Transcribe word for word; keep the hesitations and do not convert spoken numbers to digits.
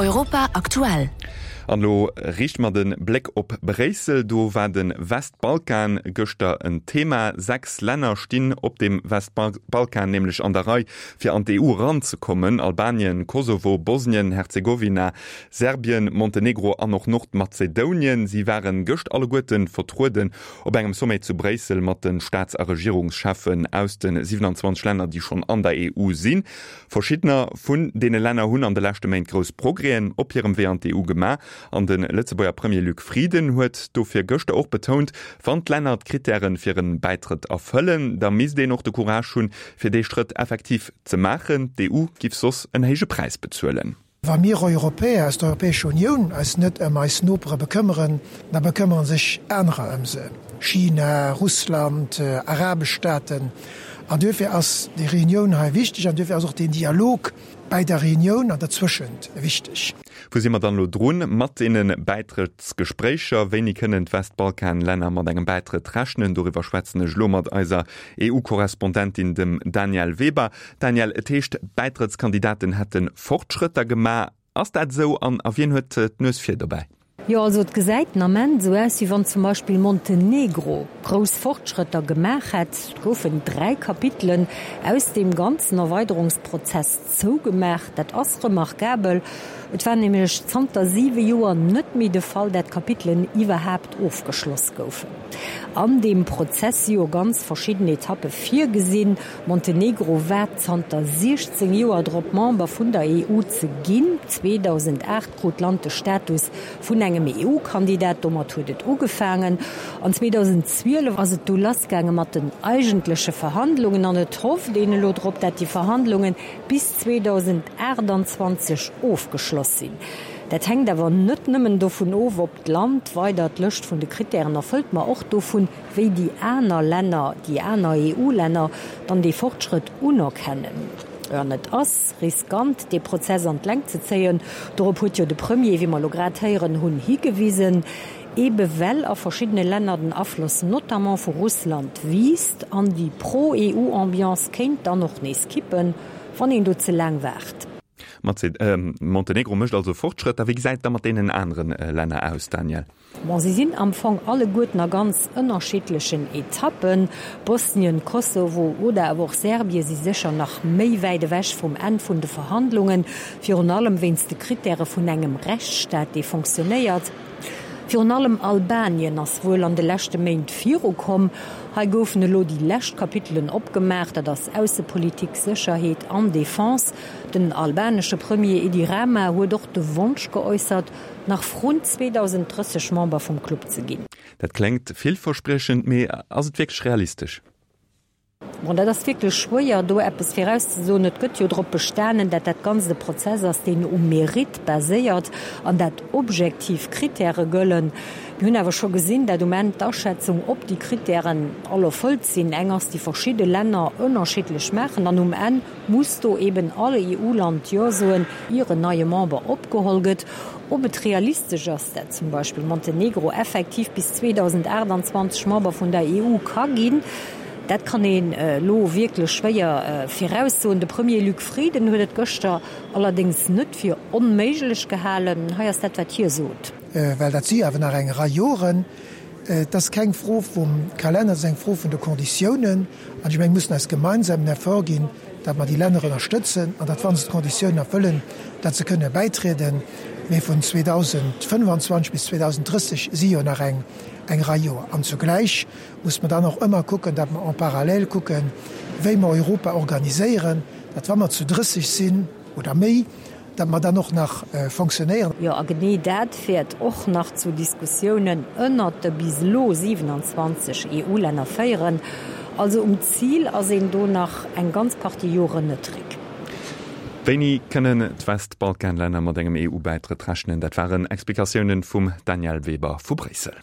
Europa aktuell. An elo riichte mer de Bléck op Bréissel. Do war de Westbalkan gëschter en Thema. Sechs Länner stinn op dem Westbalkan nämlech an der Rei, fir an d'EU eranzekommen, Albanien, Kosovo, Bosnien, Herzegowina, Serbien, Montenegro an och Nordmazedounien. Si ware gëscht alleguerte vertrueden op engem Sommet zu Bréissel mat de Staats a Regierungscheffen aus de siwenanzwanzeg Länner, déi schonn an der EU sinn. Verschiddener vun deene Länner hunn an de leschte Méint grouss Progrèsen op hirem Wee an d'EU gemaach an de Lëtzebuerger Premier Luc Frieden huet dofir gëschter och betount, wann d'Länner d'Krittäre fir e Bäitrëtt erfëllen, da misst een och de Courage hunn, fir dee Schrëtt effektiv ze maachen. D'EU giff soss en héije Präis bezuelen. Wa mir Europäer aus der Europäescher Unioun eis net ëm eis Nopere bekëmmeren, da bekëmmere sech anerer ëm se, China, Russland, arabesch Staaten. An duerfir ass déi Reunioun hei wichteg an duerfir ass och deen Dialog bäi der Reunioun an derzwëschent wichteg. Wou si mer dann elo drun mat deene Bäitrëttsgespréicher? Wéini kënnen d'Westbalkanlänner mat engem Bäitrëtt rechnen? Doriwwer schwätzen ech elo mat eiser EU-Korrespondentin, dem Danièle Weber. Danièle, et heescht, d'Bäitrëttskandidaten hätte Fortschrëtter gemaach. Ass dat esou an a wien huet d'Nues vir dobäi? Jo, also et gesäit den Ament esou aus, wéi wann zum Beispill Montenegro grouss Fortschrëtter gemaach hätt. Et goufen dräi Kapitelen aus deem ganzen Erweiderungsprozess zougemaach. Dat ass remarkabel. Et war nämlech zanter siwe Joer net méi de Fall, dat Kapitelen iwwerhaapt ofgeschloss goufen. An deem Prozess si jo ganz verschidden Etappe virgesinn. Montenegro waart zanter siechzéng Joer drop, Member vun der E U ze ginn. zweedausendacht krut d'Land de Status vun engem E U-Kandidat, domat huet et ugefaangen. An zweedausendzwielef ass et du lassgaange mat den eigentleche Verhandlungen an et hofft een elo drop, dat déi Verhandlunge bis zweedausendachtanzwanzeg ofgeschloss sinn. Dat hänkt awer net nëmmen dovun of, ob d'Land weider d'Lëscht vun de Krittären erfëllt, ma och dovun, wéi déi aner Länner, déi aner E U-Länner dann dee Fortschrëtt unerkennen. An et ass riskant, dee Prozess an d'Längt ze zéien. Dorop huet jo de Premier, wéi mer elo grad héieren hunn, higewisen, ebe well a verschiddene Länner den Afloss notamment vu Russland wiisst an déi Pro-E U-Ambiance kéint dann och nees kippen, wann een do ze laang waart. Montenegro mécht also Fortschrëtter. Wéi gesäit et da mat deenen anere Länner aus, Danièle? Bon, si sinn am Fong alleguerten a ganz ënnerschiddlechen Etappen. Bosnien, Kosovo oder awer och Serbie si sécher nach méi wäit ewech vum Enn vun de Verhandlungen, virun allem wéinst de Krittäre vun engem Rechtsstaat, dee fonctionnéiert. Virun allem Albanien ass wuel an de leschte Méint virukomm. Hei goufen elo déi lescht Kapitelen opgemaach, dat ass Aussepolitik, Sécherheet an Defense. Den albanesche Premier Edi Rama huet och de Wonsch geäussert, nach vrun zweedausenddrësseg Member vum Club ze ginn. Dat kléngt villverspriechend, mee ass et wierklech realistesch? Bon, dat ass wierklech schwéier, do eppes virauszesoen. Et gëtt jo drop bestanen, dat dat Ganzt e Prozess ass, deen um Mérite baséiert an dat objektiv Kritäre gëllen. Mir hunn awer scho gesinn, dat um Enn d'Aschätzung, ob déi Kritären all erfëllt sinn, eng ass, déi verschidde Länner ënnerschiddlech maachen. An um Enn muss do eben all E U-Land Jo soen, ier en neie Member opgeholl gëtt. Ob et realistesch ass, dat zum Beispill Montenegro effektiv bis zweedausendachtanzwanzeg Member vun der E U ka ginn, dat kann een elo wierklech schwéier viraussoen. De Premier Luc Frieden huet et gëschter allerdéngs net fir onméiglech gehalen. Hei ass dat, wat hie sot. Well dat si awer nach eng Rei Joren. Et ass keng Fro vum Kalenner, et ass eng Fro vun de Konditiounen. An ech mengen, mir mussen eis gemeinsam en Effort ginn, datt mer déi Länner ënnerstëtzen an datt, wa se d'Konditiounen erfëllen, datt se kënne bäitrieden. Mee vun zweedausendfënnfanzwanzeg bis zweedausendrësseg si jo nach eng Rei Joer. An zugläich muss mer dann och ëmmer kucken, datt mer en parallèle kucken, wéi mer Europa organiséieren, datt, wa mer zu drësseg sinn oder méi, datt mer dann och nach fonctionnéieren. Jo, a genee dat wäert och nach zu Diskussiounen ënnert de bis elo siwenanzwanzeg E U-Länner féieren. Also um Zil ass een do nach eng ganz Partie Joren net, Rick. Wéini kënnen d'Westbalkanlänner mat engem E U-Bäitrëtt rechnen? Dat waren Explikatiounen vum Danièle Weber vu Bréissel.